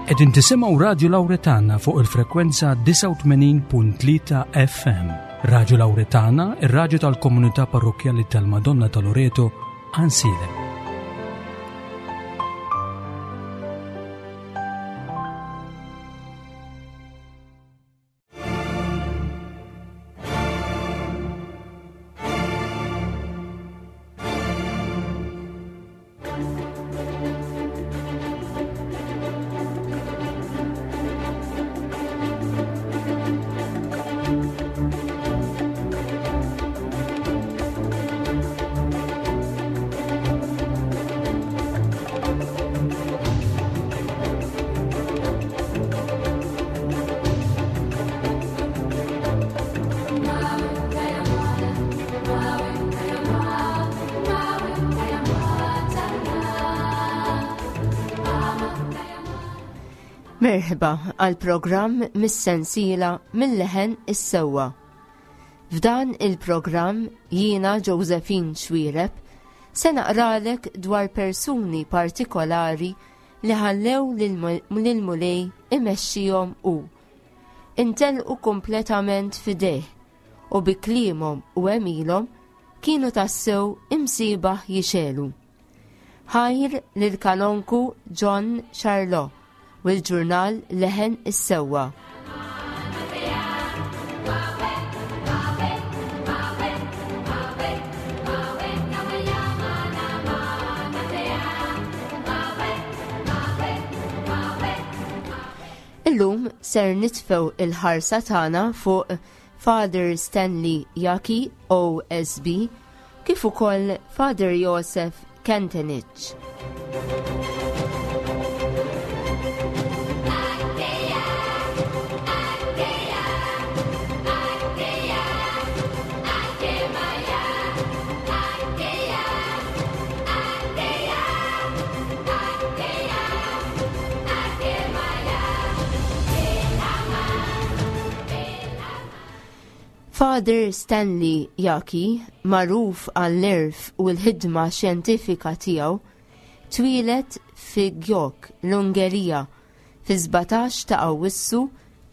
Qegħdin tisimgħu Radju Lawretana fuq il-frekwenza 89.3 FM. Radju Lawretana, ir-radju tal-komunità parrokkjali tal-Madonna ta' Loreto, Ansilem. Merħba għal programm mis-sensiela mill-leħen is-sewwa. F'dan il-programm jiena Josephine Xwireb se naqralek dwar persuni partikolari li ħallew lill-Mulej imexxihom hu. Intelqu kompletament f'idejh u bi kliemhom u għemilhom kienu tassew imsiebaħ jixegħlu. Ħajr lill-Kanonku John Charlot u l-ġurnal Leħen is-Sewwa. Illum ser nitfew il-ħarsa tagħna fuq Father Stanley Jaki OSB kif ukoll Father Josef Kentenich. Father Stanley Jaki, magħruf għall-għerf u l-ħidma xjentifika tiegħu, twieled fi Gyok, l-Ungerija, fi-17 ta' Awwissu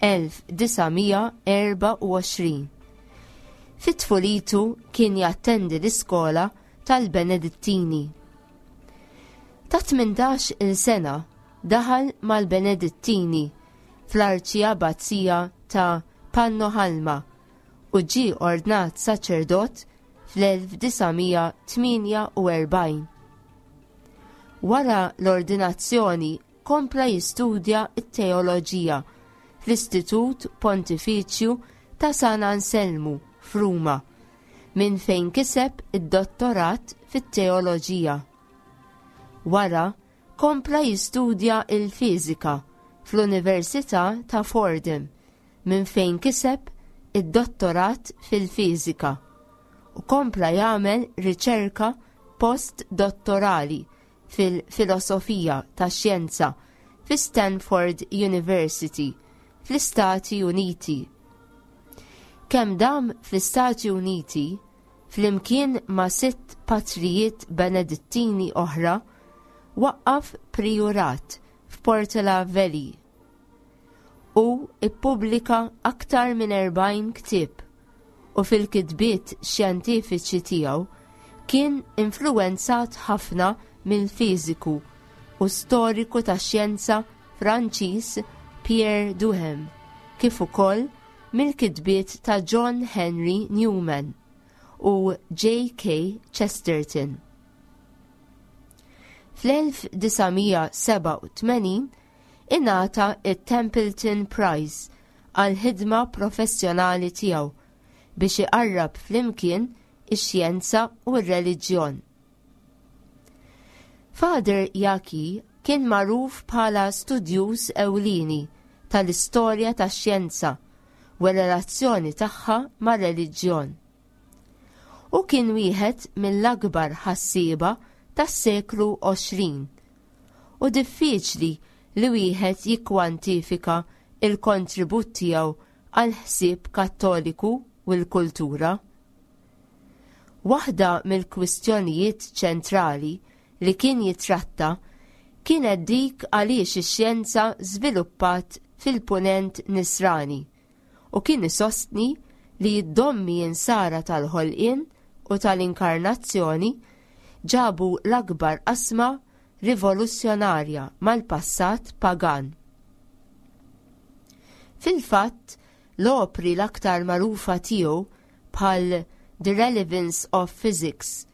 1924. Fi tfulitu kien jattendi l-iskola tal-Benedittini. Ta' 18 il sena daħal mal-Benedittini fl-Arċiabbazija ta' Pannohalma u ġie ordnat saċerdot fl-1948. Wara l-ordinazzjoni kompla jistudja t-teoloġija fl-Istitut Pontifiċju ta' San Anselmu f'Ruma, minn fejn kiseb id-dottorat fit-teoloġija. Wara kompla jistudja l-fiżika fl-Università ta' Fordham minn fejn kiseb id-dottorat fil-fiżika u kompla jagħmel riċerka postdottorali fil-filosofija tax-xjenza fi Stanford University fl-Istati Uniti. Kemm dam fl-Istati Uniti, flimkien ma' sitt patrijiet Benedittini oħra, waqqaf prijurat f'Portola Valley. Hu ppubblika aktar minn 40 ktieb u fil-kitbiet xjentifiċi tiegħu kien influwenzat ħafna mill-fiżiku u storiku tax-xjenza Franċiż Pierre Duhem kif ukoll mill-kitbiet ta' John Henry Newman u J.K. Chesterton. Fl-1987 ingħata t-Templeton Prize għall-ħidma professjonali tiegħu biex iqarrab flimkien ix-xjenza u r-reliġjon. Father Jaki kien magħruf bħala studjuż ewlieni tal-istorja tax-xjenza u r-relazzjoni tagħha mar-reliġjon. Hu kien wieħed mill-akbar ħassieba tas-seklu 20 u diffiċli li wieħed jikkwantifika l-kontribut tiegħu għall-ħsieb Kattoliku u l-kultura. Waħda mill-kwistjonijiet ċentrali li kien jitratta kienet dik għaliex ix-xjenza żviluppat fil-Punent Nisrani u kien isostni li d-dommi insara tal-ħolqien u tal-inkarnazzjoni ġabu l-akbar qasma rivoluzzjonarja mal-passat pagan. Fil-fatt, l-opri l-aktar magħrufa tiegħu bħal The Relevance of Physics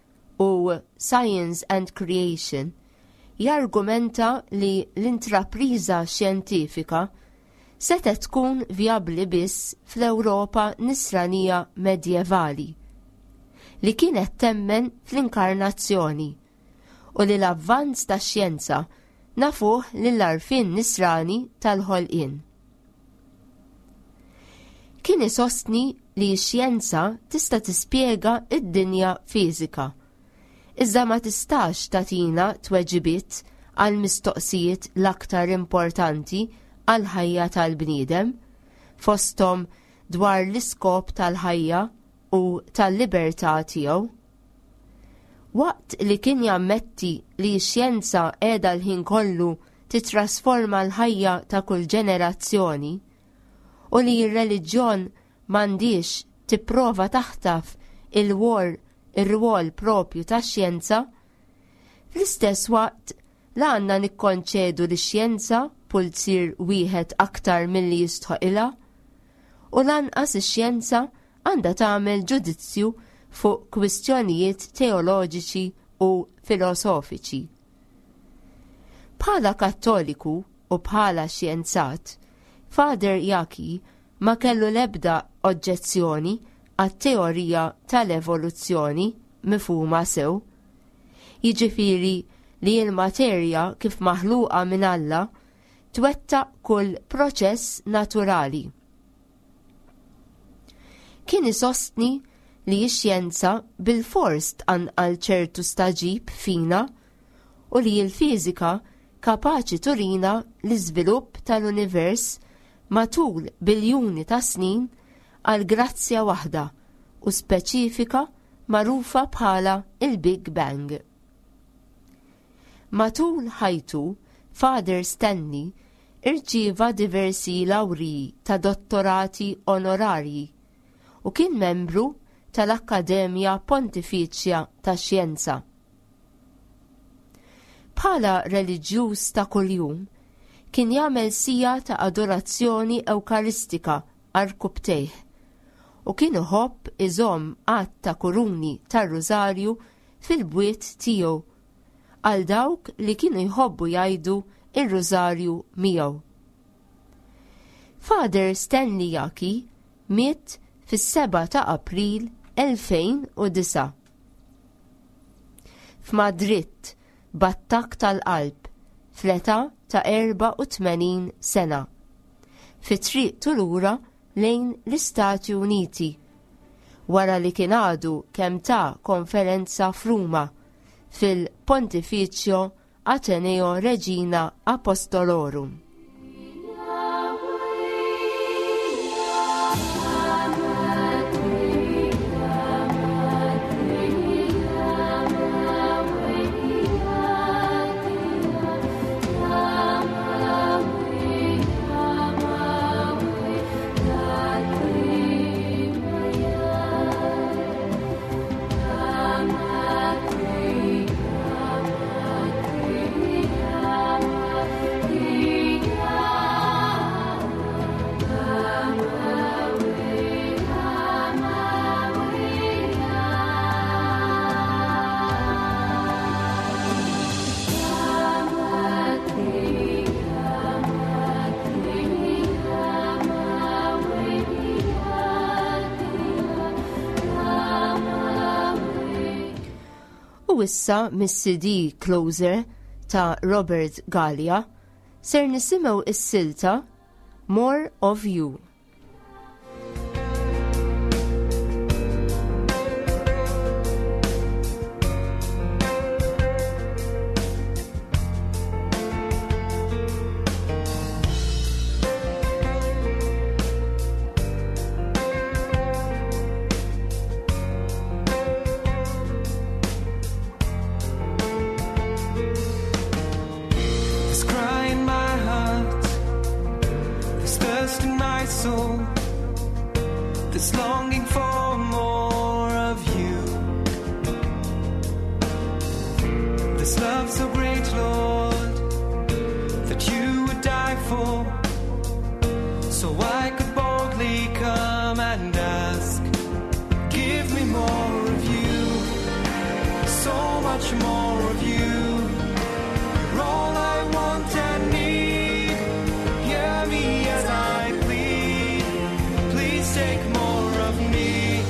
u Science and Creation jargumenta li l-intrapriża xjentifika setgħet tkun vijabbli biss fl-Ewropa Nisranija medjevali, li kienet temmen fl-inkarnazzjoni u li l-avvanz tax-xjenza nafuh lill-għarfien Nisrani tal-ħolqien. Kien isostni li x-xjenza tista' tispjega d-dinja fiżika, iżda ma tistax tagħtina tweġibiet għall-mistoqsijiet l-aktar importanti għall-ħajja tal-bniedem, fosthom dwar l-iskop tal-ħajja u tal-libertà tiegħu. Waqt li kien jammetti li x-xjenza qiegħda l-ħin kollu titrasforma l-ħajja ta' kull ġenerazzjoni u li r-reliġjon m'għandhiex tipprova taħtaf il-wor ir-rwol propju tax-xjenza, fl-istess waqt la għandna nikkonċedu lix-xjenza pulzier wieħed aktar milli jistħoqilha u lanqas ix-xjenza għandha tagħmel ġudizzju fuq kwistjonijiet teoloġiċi u filosofiċi. Bħala Kattoliku u bħala xjenzat, Father Jaki ma kellu l-ebda oġġezzjoni għat-teorija tal-evoluzzjoni mifhuma sew. Jiġifieri li l-materja kif maħluqa minn Alla twettaq kull proċess naturali. Kien isostni li x-xjenza bilfors tqanqal ċertu stagħġib fina u li l-fiżika kapaċi turina l-iżvilupp tal-univers matul biljuni ta' snin għal grazzja waħda u speċifika magħrufa bħala il-Big Bang. Matul ħajtu, Father Stanley irċieva diversi lawriji ta' dottorati onorarji u kien membru tal-Akkademja Pontifiċja tax-Xjenza. Bħala reliġjuż ta' kuljum, kien jagħmel siegħa ta' adorazzjoni Ewkaristika għarkupptejh u kien iħobb iżomm għadd ta' kuruni tar-Rużarju fil-bwiet tiegħu għal dawk li kienu jħobbu jgħidu r-Rużarju miegħu. Father Stanley Jaki miet fis-7 ta' April 2009. F'Madrid b'attakk tal-qalb fl-età ta' 84 sena. Fi triqtu lura lejn l-Istati Uniti wara li kien għadu kemm ta konferenza f'Ruma fil-Pontificio Ateneo Regina Apostolorum. U issa mis-CD Closer ta' Robert Gallia ser nisimgħu is-silta More of You. This love so great, Lord, that you would die for, so I could boldly come and ask, give me more of you, so much more of you. You're all I want and need. Hear me as I plead. Please take more of me,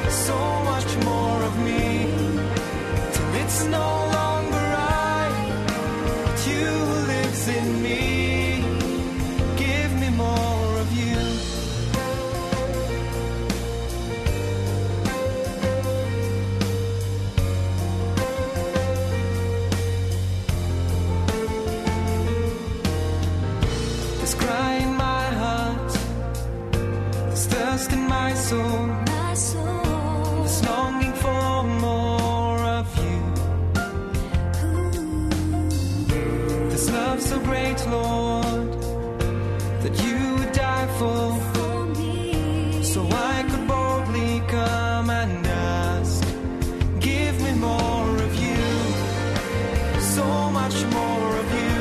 so much more of me, till it's no longer I, but you who lives in me. Give me more of you. This cry in my heart, this thirst in my soul, My soul. this longing for more of you. This love so great, Lord, that you would die for, For me. so I could boldly come and ask, give me more of you, so much more of you.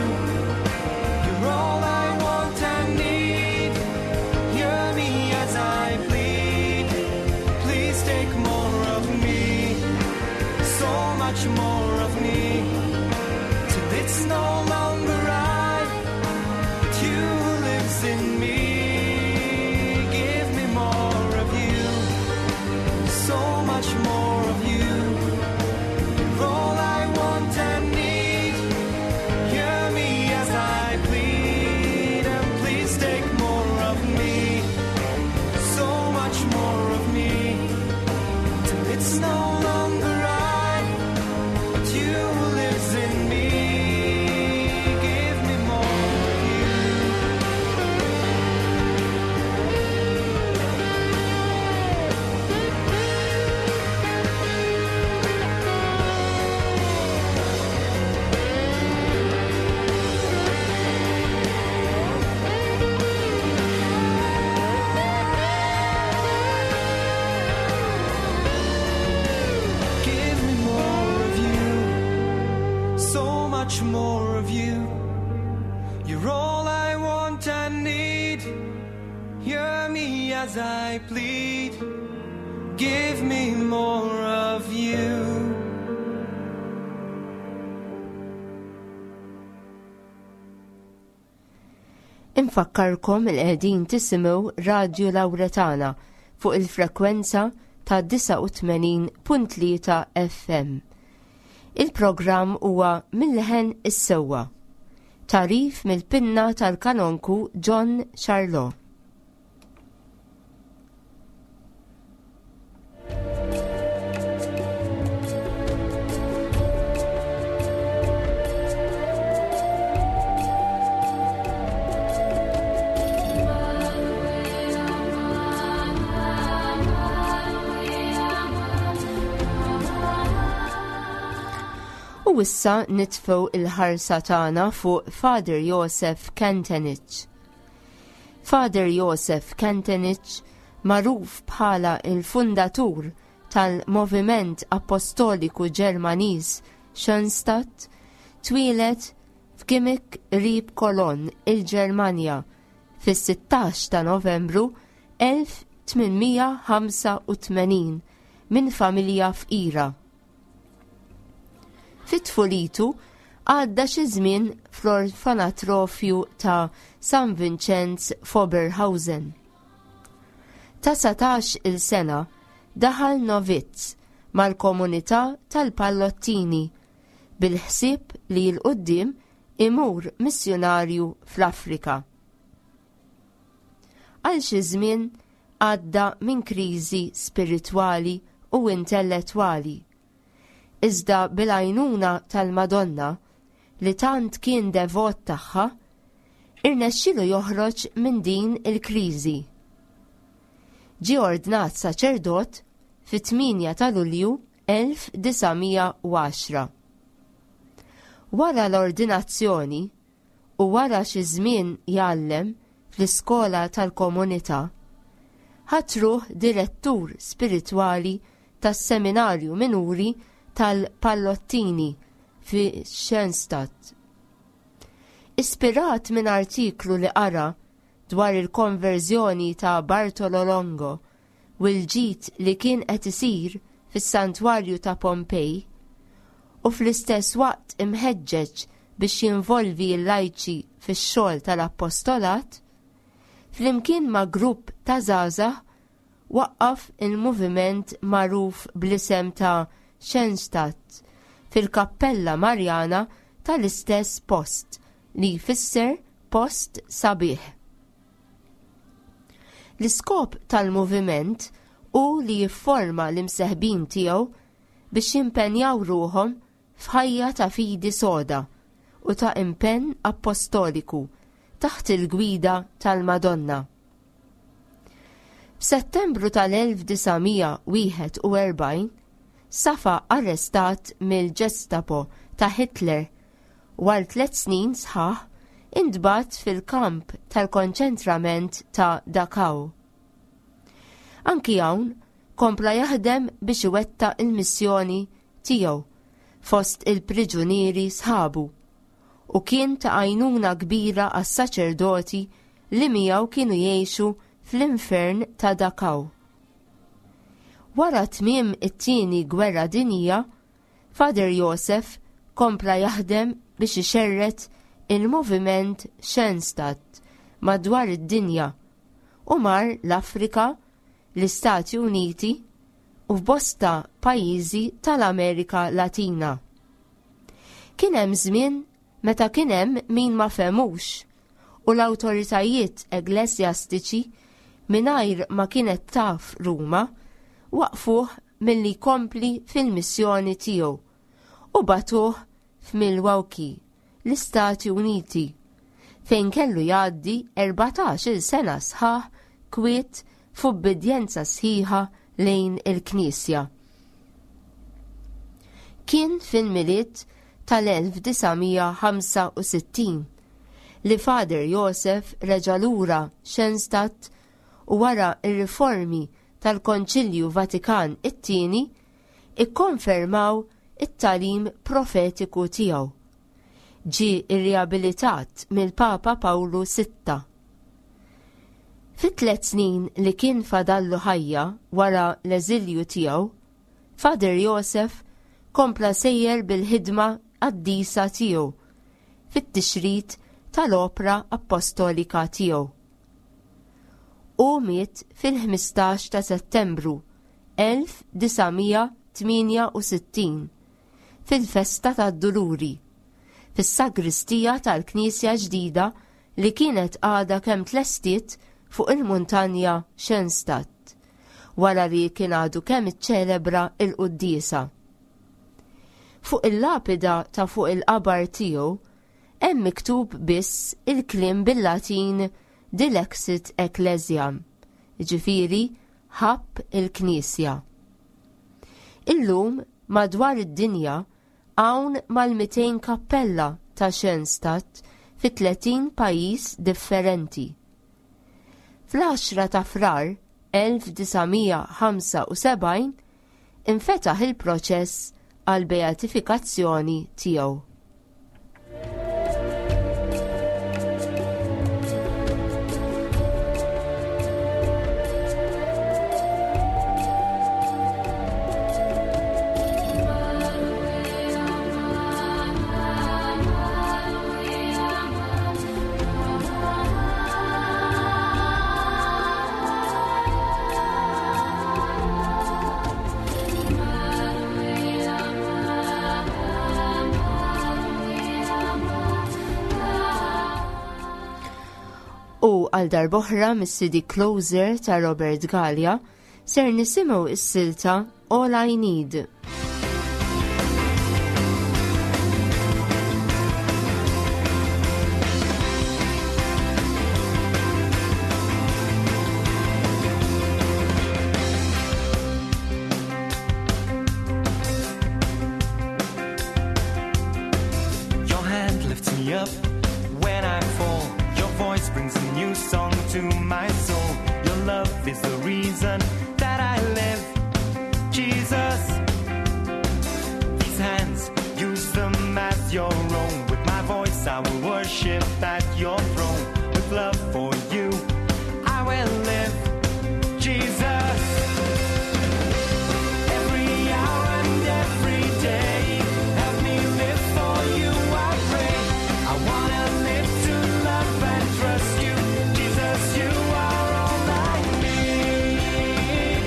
You're all I want and need. Hear me as I plead. Please take more of me, so much more of me, till it's no longer I, but you who lives in me. Give me more of you, so much more of you. You're all I want and need. Hear me as I plead, and please take more of me, so much more of me, till it's no longer I, but you who lives in me. Give me more of you. Give me more of you, so much more of you. You're all I want and need. Hear me as I plead. Give me more of you. Infakkarkom il-qegħdin tisimgħu Radju Lawretana fuq il-frekwenza ta' 89.3 FM. Il-programm huwa Mil-Leħen is-Sewwa. Tagħrif mill-pinna tal-kanonku John Charlot. U issa nitfgħu il-ħarsa tagħna fuq Father Joseph Kentenich. Father Joseph Kentenich, magħruf bħala il-fundatur tal-Moviment Apostoliku Ġermaniż Schoenstatt, twieled f'Gimmeck qrib Cologne, il-Ġermanja, fis-16 ta' Novembru 1885 minn familja fqira. Fit-tfulitu għadda xi żmien fl-orfanatrofju ta' San Vincenz f'Oberhausen. Ta' 19 il sena daħal novizz mal-komunità tal-Pallottini bil-ħsieb li 'l quddiem imur missjunarju fl-Afrika. Għal xi żmien għadda minn kriżi spiritwali u intellettwali. Iżda bil-għajnuna tal-Madonna li tant kien devot tagħha, irnexxielu joħroġ minn din il-kriżi. Ġie ordnat saċerdot fit-8 ta' Lulju 1910. Wara l-ordinazzjoni u wara xi żmien jgħallem fl-iskola tal-komunità, ħatruh direttur spiritwali tas-Seminarju Minuri tal-Pallottini. fi Schoenstatt. Ispirat minn artiklu li qara dwar il-konverżjoni ta' Bartolo Longo u l-ġid li kien qed isir fis-santwarju ta' Pompej, u fl-istess waqt imħeġġeġ biex jinvolvi l-lajċi fix-xogħol tal-appostolat, flimkien ma' grupp ta' żgħażagħ waqqaf il-moviment magħruf bl-isem ta' Schoenstatt fil-Kappella Marjana tal-istess post li jfisser post sabiħ. L-iskop tal-moviment hu li jifforma l-imseħbin tiegħu biex jimpenjaw ruħhom f'ħajja ta' fidi soda u ta' impenn appostoliku taħt il-gwida tal-Madonna. F'Settembru tal-1941 safa arrestat mill-Gestapo ta' Hitler u għal tliet snin sħaħ intbagħat fil-kamp tal-konċentrament ta' Dachau. Anki hawn kompla jaħdem biex iwettaq il-missjoni tiegħu fost il-priġunieri sħabu u kien ta' għajnuna kbira għas-saċerdoti li miegħu kienu jgħixu fl-infern ta' Dachau. Wara tmiem it-Tieni Gwerra Dinjija, Father Josef kompla jaħdem biex ixerred il-moviment Schoenstatt madwar id-dinja u mar l-Afrika, l-Istati Uniti u f'bosta pajjiżi tal-Amerika Latina. Kien hemm żmien meta kien hemm min ma fehmux u l-awtoritajiet eglesjastiċi mingħajr ma kienet taf Ruma waqfuh milli jkompli fil-missjoni tiegħu u bagħtuh f'Milwaukee, l-Istati Uniti, fejn kellu jgħaddi 14-il sena sħaħ kwiet f'ubbidjenza sħiħa lejn il-Knisja. Kien fil-Milied tal-1965 li Father Josef reġa' lura Schoenstatt u wara r-riformi tal-Konċilju Vatikan it-Tieni ikkonfermaw it-tagħlim profetiku tiegħu. Ġie rriabilitat mill-Papa Pawlu Sitta. Fit-tliet snin li kien fadallu ħajja wara l-eżilju tiegħu, Father Josef kompla sejjer bil-ħidma qaddisa tiegħu fit-tixrid tal-opra appostolika tiegħu. Hu miet fil-15 ta' Settembru 1968 fil-festa tad-Duluri, fis-sagristija tal-knisja ġdida li kienet għadha kemm tlestiet fuq il-muntanja Schoenstatt, wara li kien għadu kemm iċċelebra l-quddiesa. Fuq il-lapida ta' fuq il-qabar tiegħu hemm miktub biss il-kliem bil-Latin Dilexit Ecclesiam, jiġifieri ħabb il-Knisja. Illum madwar id-dinja hawn mal-200 kappella ta' Schoenstatt fi 30 pajjiż differenti. Fl-10 ta' Frar 1975 infetaħ il-proċess għall-beatifikazzjoni tiegħu. U għal darboħra mis-CD Closer ta' Robert Gallia ser nisimgħu is-silta All I Need. Your hand lifts me up when I fall. Your voice brings a new song to my soul. Your love is the reason that I live. Jesus, these hands use the magic. your own. With my voice I will worship at your throne. With love for you, I will live, Jesus. Every hour and every day, help me live for you, I pray. I wanna live to love and trust you. Jesus, you are all I need,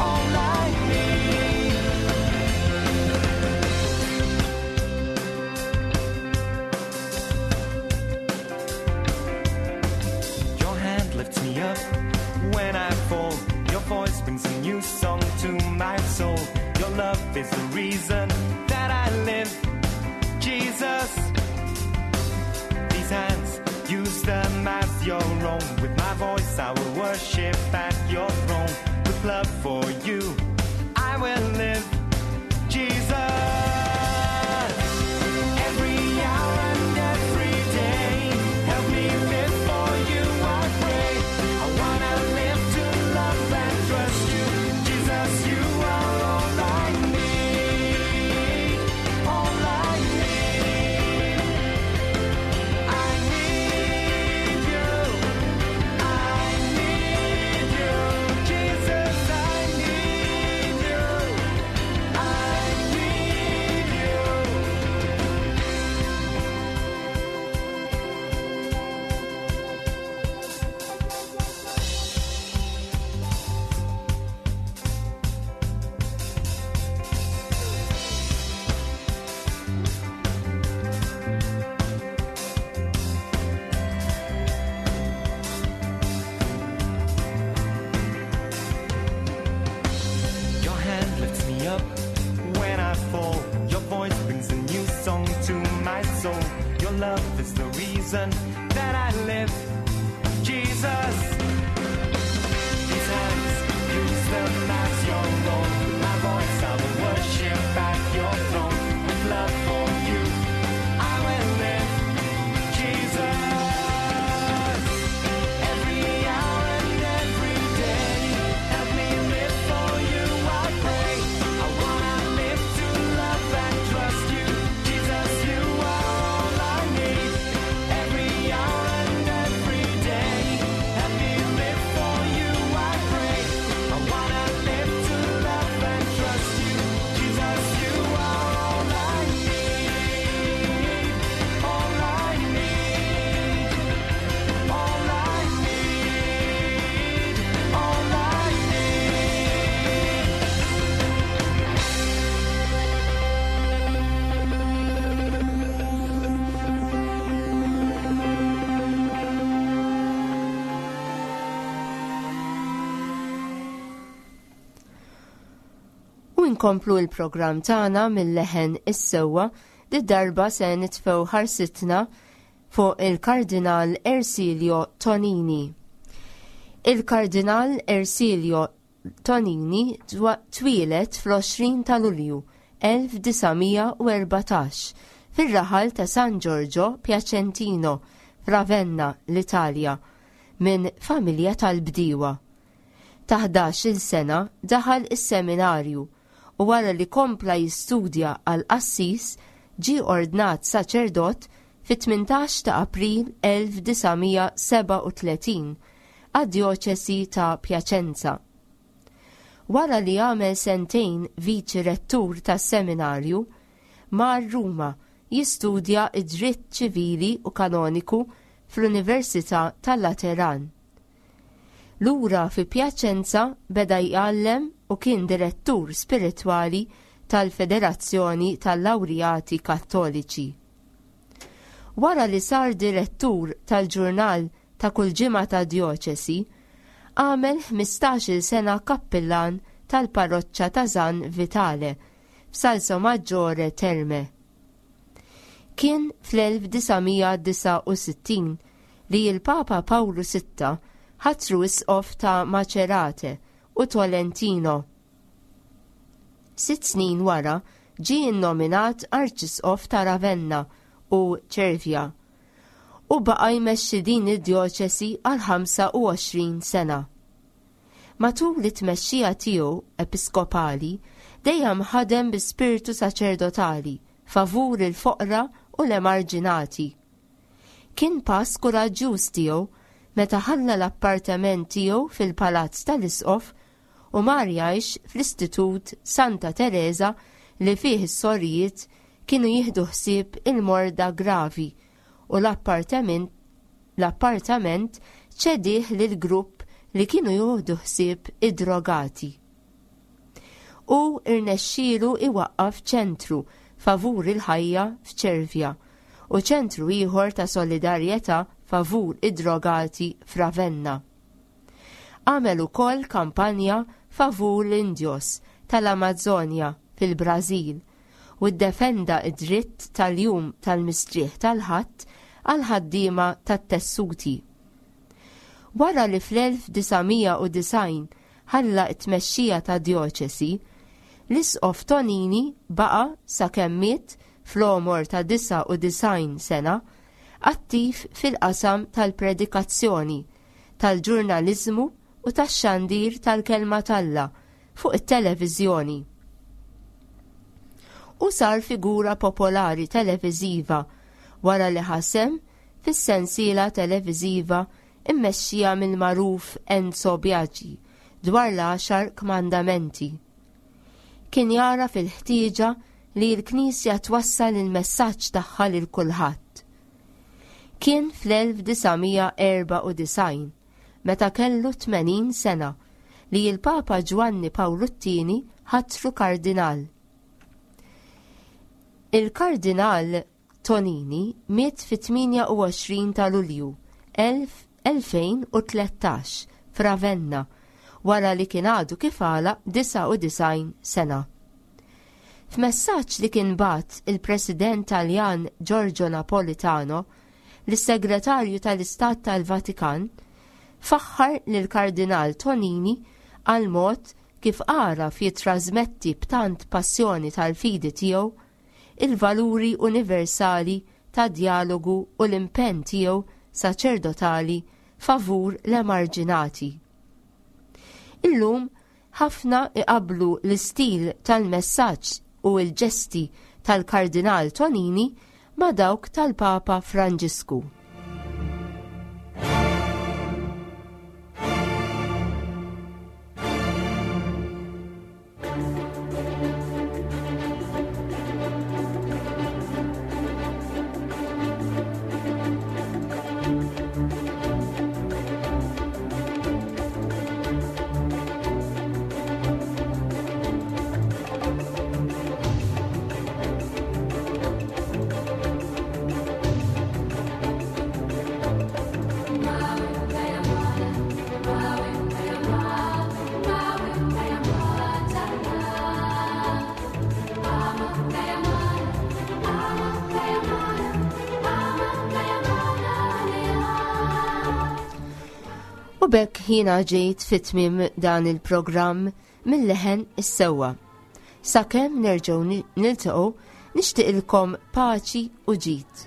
all I need. Your hand lifts me up when I fall. Your voice brings a new song to my soul. Your love is the reason that I live. Jesus, these hands, use them as your own. With my voice, I will worship at your throne. With love for you, I will live. Jesus. Every hour and every day, help me live for you, I pray. I wanna live to love and trust you. Jesus, you are all I need, all I need. I need you, I need you. Jesus, I need you, I need you. Your hand lifts me up when I fall. Your voice brings a new song to my soul. Your love is the reason that I live. Jesus, these hands, use them as your own. My voice, I will worship at your throne. With love for you, I will live. Jesus. Every hour and every day, help me live for you, I pray. I wanna live to love and trust you. Jesus, you are all I need. Every hour and every day, help me live for you, I pray. I wanna live to love and trust you. Jesus, you are all I need. All I need. All I need, all I need. U nkomplu l-programm tagħna mill-leħen is-sewwa li darba se nitfgħu ħarsitna fuq il-Kardinal Ersilio Tonini. Il-Kardinal Ersilio Tonini twieled fl-20 ta' Lulju 1914 fir-raħal ta' San Giorgio Piacentino f'Ravenna, l-Italja, minn familja tal-bdiewa. Ta' 11-il sena daħal is-seminarju u wara li kompla jistudja għal qassis ġie ordnat saċerdot fit-18 ta' April 1937 għad-djoċesi ta' Piacenza. Wara li għamel sentejn viċi rettur tas-seminarju, mar Ruma jistudja id-dritt ċivili u kanoniku fl-Università tal-Lateran. Lura fi Piacenza beda jgħallem u kien direttur spiritwali tal-Federazzjoni tal-Lawrijati Kattoliċi. Wara li sar direttur tal-ġurnal ta' kull ġimgħa ta' djoċesi, għamel 15-il sena kappillan tal-parroċċa ta' San Vitale f'Salso Maggiore Terme. Kien fl-1969 li l-Papa Pawlu VI ħatru isqof ta' Macerate u Tolentino. 6 snin wara ġie nnominat Arċisqof ta' Ravenna u Cervia u baqa' jmexxi din id-djoċesi għal 25 sena. Matul it-tmexxija tiegħu episkopali dejjem ħadem bi spiritu saċerdotali favur il-foqra u l-emarġinati. Kien pass kuraġġjuż tiegħu meta ħalla l-appartament tiegħu fil-palazz tal-Isqof u mar jgħix fl-Istitut Santa Tereża li fih is-sorijiet kienu jieħdu ħsieb il-morda gravi u l-appartament l-appartament ċedih lil grupp li kienu jieħdu ħsieb id-drogati. Hu rnexxielu iwaqqaf ċentru favur il-ħajja f'Ċervja u ċentru ieħor ta' solidarjetà favur id-drogati f'Ravenna. Għamel ukoll kampanja favur l-Indjos tal-Amażonja fil-Brażil u ddefenda d-dritt tal-jum tal-mistrieħ tal-Ħadd għall-ħaddiema tat-tessuti. Wara li fl-1990 ħalla t-tmexxija tad-djoċesi, l-Isqof Tonini baqa' sakemm miet fl-għomor ta' 99 sena attiv fil-qasam tal-predikazzjoni, tal-ġurnaliżmu u tax-xandir tal-Kelma t'Alla fuq it-televiżjoni. Hu sar figura popolari televiżiva wara li ħa sehem fis-sensiela televiżiva mmexxija mill-magħruf Enzo Biagi dwar l-Għaxar Kmandamenti. Kien jagħraf il-ħtieġa li l-Knisja twassal il-messaġġ tagħha lil kulħadd. Kien fl-1994, meta kellu 80 sena, li l-Papa Ġwanni Pawlu t-Tieni ħatru kardinal. Il-Kardinal Tonini miet fit-28 ta' Lulju 2013 f'Ravenna wara li kien għadu kif għalaq 99 sena. F'messaġġ li kien bagħat il-President Taljan Giorgio Napolitano lis-Segretarju tal-Istat tal-Vatikan, faħħar lill-Kardinal Tonini għall-mod kif għaraf jittrażmetti b'tant passjoni tal-fidi tiegħu il-valuri universali tad-djalogu u l-impenn tiegħu saċerdotali favur l-emarġinati. Illum ħafna iqabblu l-istil tal-messaġġ u l-ġesti tal-Kardinal Tonini ma' dawk tal-Papa Franġisku. U bekk jiena ġejt fit-tmiem dan il-programm mill-leħen is-sewwa. Sakemm nerġgħu niltaqgħu nixtieqilkom paċi u ġid.